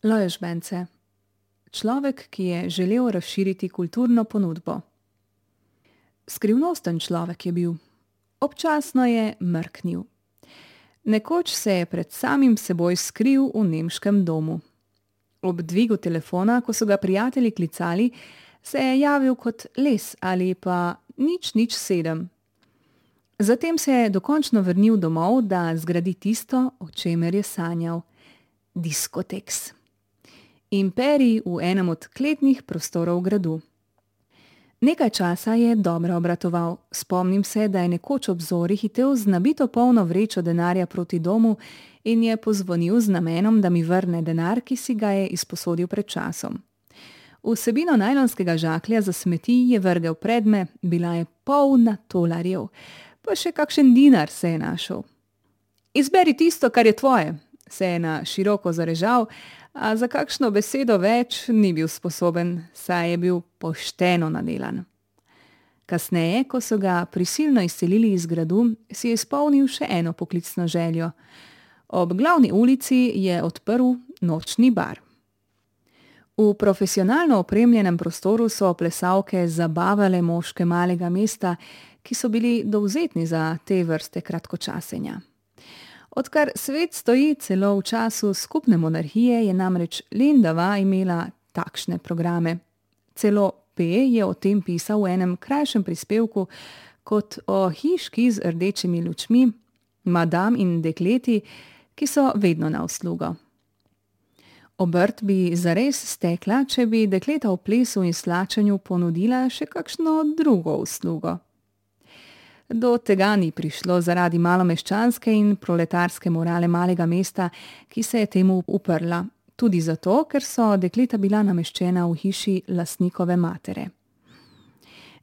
Lojzs Bence. Človek, ki je želel razširiti kulturno ponudbo. Skrivnosten človek je bil. Občasno je mrknil. Nekoč se je pred samim seboj skril v nemškem domu. Ob dvigu telefona, ko so ga prijatelji klicali, se je javil kot les ali pa 007. Zatem se je dokončno vrnil domov, da zgradi tisto, o čemer je sanjal. Diskoteks. Imperij v enem od kletnih prostorov gradu. Nekaj časa je dobro obratoval. Spomnim se, da je nekoč ob zori hitel z nabito polno vrečo denarja proti domu in je pozvonil z namenom, da mi vrne denar, ki si ga je izposodil pred časom. Vsebino najlonskega žaklja za smeti je vrgel pred me, bila je polna tolarjev, pa še kakšen dinar se je našel. Izberi tisto, kar je tvoje, se je na široko zarežal, a za kakšno besedo več ni bil sposoben, saj je bil pošteno nadelan. Kasneje, ko so ga prisilno izselili iz gradu, si je izpolnil še eno poklicno željo. Ob glavni ulici je odprl nočni bar. V profesionalno opremljenem prostoru so plesalke zabavale moške malega mesta, ki so bili dovzetni za te vrste kratkočasenja. Odkar svet stoji, celo v času skupne monarhije, je namreč Lendava imela takšne programe. Celo P. je o tem pisal v enem krajšem prispevku kot o hiški z rdečimi lučmi, madam in dekleti, ki so vedno na uslugo. Obrt bi zares stekla, če bi dekleta v plesu in slačenju ponudila še kakšno drugo uslugo. Do tega ni prišlo zaradi malomeščanske in proletarske morale malega mesta, ki se je temu uprla. Tudi zato, ker so dekleta bila nameščena v hiši lastnikove matere.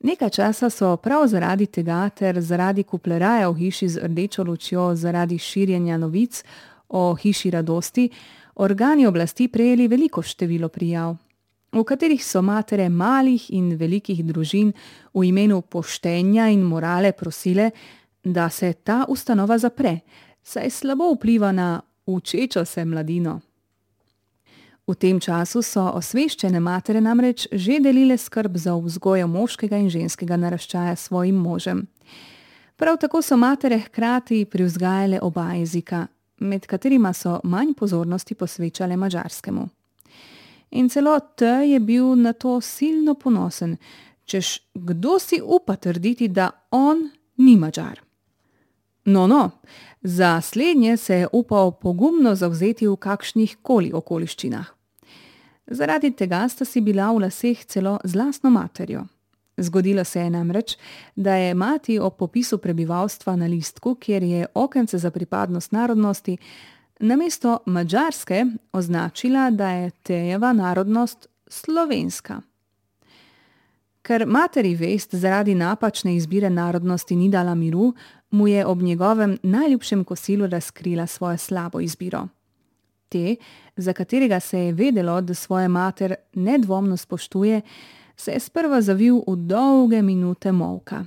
Nekaj časa so prav zaradi tega ter zaradi kupleraja v hiši z rdečo lučjo zaradi širjenja novic o hiši radosti organi oblasti prejeli veliko število prijav, v katerih so matere malih in velikih družin v imenu poštenja in morale prosile, da se ta ustanova zapre, saj slabo vpliva na učečo se mladino. V tem času so osveščene matere namreč že delile skrb za vzgojo moškega in ženskega naraščaja svojim možem. Prav tako so matere hkrati privzgajale oba jezika, med katerima so manj pozornosti posvečale madžarskemu. In celo T je bil na to silno ponosen, češ kdo si upa trditi, da on ni Madžar. No, za slednje se je upal pogumno zavzeti v kakšnih koli okoliščinah. Zaradi tega sta si bila v laseh celo z lastno materjo. Zgodilo se je namreč, da je mati ob popisu prebivalstva na listku, kjer je okence za pripadnost narodnosti, namesto madžarske označila, da je Tejeva narodnost slovenska. Ker materi vest zaradi napačne izbire narodnosti ni dala miru, mu je ob njegovem najljubšem kosilu razkrila svojo slabo izbiro. Te, za katerega se je vedelo, da svojo mater nedvomno spoštuje, se je sprva zavil v dolge minute molka.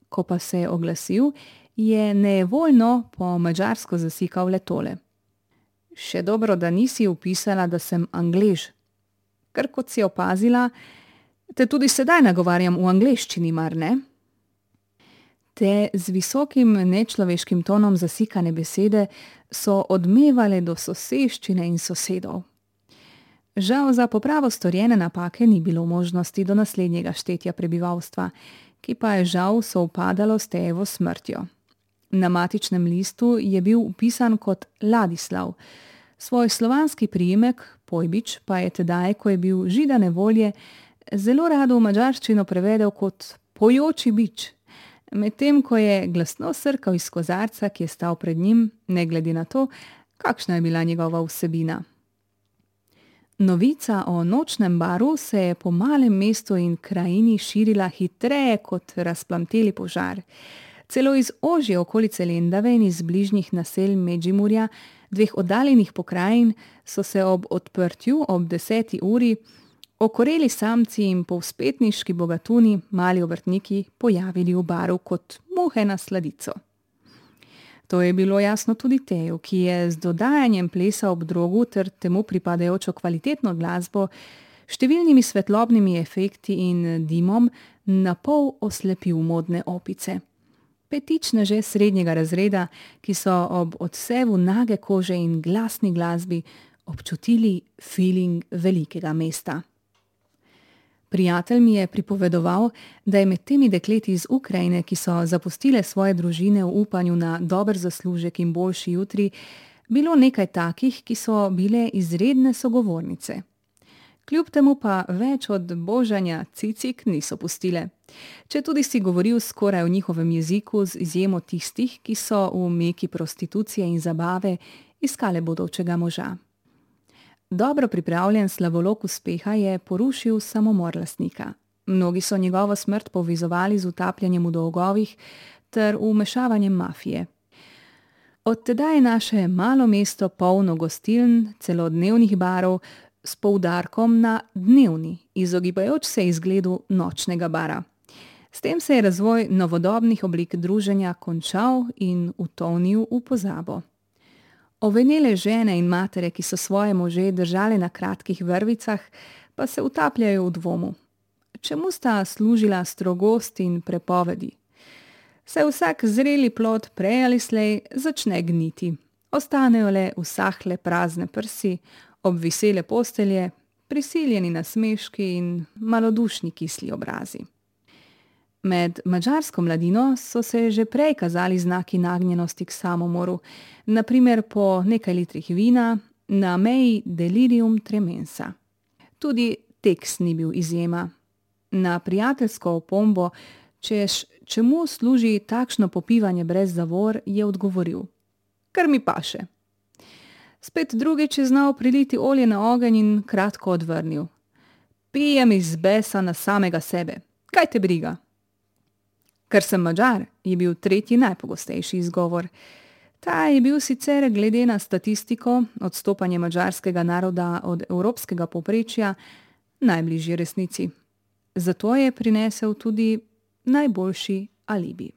Ko pa se je oglasil, je nejevoljno po madžarsko zasikal le tole. Še dobro, da nisi vpisala, da sem Anglež. Ker kot si opazila, te tudi sedaj nagovarjam v angleščini, mar ne? Te z visokim nečloveškim tonom zasikane besede so odmevale do soseščine in sosedov. Žal za popravo storjene napake ni bilo možnosti do naslednjega štetja prebivalstva, ki pa je žal sovpadalo s Tejevo smrtjo. Na matičnem listu je bil vpisan kot Ladislav. Svoj slovanski priimek, Pojbič, pa je tedaj, ko je bil židane volje, zelo rado v madžarščino prevedel kot pojoči bič, medtem ko je glasno srkal iz kozarca, ki je stal pred njim, ne glede na to, kakšna je bila njegova vsebina. Novica o nočnem baru se je po malem mestu in krajini širila hitreje kot razplamteli požar. Celo iz ožje okolice Lendave in iz bližnjih naselj Medžimurja, dveh oddaljenih pokrajin, so se ob odprtju ob 10. uri okoreli samci in povzpetniški bogatuni, mali obrtniki, pojavili v baru kot muhe na sladico. To je bilo jasno tudi Teju, ki je z dodajanjem plesa ob drogu ter temu pripadajočo kvalitetno glasbo, številnimi svetlobnimi efekti in dimom napol oslepil modne opice. Petičneže srednjega razreda, ki so ob odsevu nage kože in glasni glasbi občutili feeling velikega mesta. Prijatelj mi je pripovedoval, da je med temi dekleti iz Ukrajine, ki so zapustile svoje družine v upanju na dober zaslužek in boljši jutri, bilo nekaj takih, ki so bile izredne sogovornice. Kljub temu pa več od božanja cicik niso pustile. Četudi si govoril skoraj v njihovem jeziku z izjemo tistih, ki so v meki prostitucije in zabave iskale bodočega moža. Dobro pripravljen slavolok uspeha je porušil samomor lastnika. Mnogi so njegovo smrt povezovali z utapljanjem v dolgovih ter vmešavanjem mafije. Od tedaj je naše malo mesto polno gostiln, celodnevnih barov, s poudarkom na dnevni, izogibajoč se izgledu nočnega bara. S tem se je razvoj novodobnih oblik druženja končal in utonil v pozabo. Ovenele žene in matere, ki so svoje može držale na kratkih vrvicah, pa se utapljajo v dvomu. Čemu sta služila strogost in prepovedi? Se vsak zreli plod prej ali slej začne gniti. Ostanejo le usahle prazne prsi, obvisele postelje, prisiljeni nasmeški in malodušni kisli obrazi. Med madžarsko mladino so se že prej kazali znaki nagnjenosti k samomoru, na primer po nekaj litrih vina, na meji delirium tremensa. Tudi Teks ni bil izjema. Na prijateljsko opombo, čemu služi takšno popivanje brez zavor, je odgovoril: "Kar mi paše." Spet drugič je znal priliti olje na ogenj in kratko odvrnil: "Pijem iz besa na samega sebe, kaj te briga?" "Ker sem Madžar," je bil tretji najpogostejši izgovor. Ta je bil sicer glede na statistiko, odstopanje madžarskega naroda od evropskega povprečja, najbližji resnici. Zato je prinesel tudi najboljši alibi.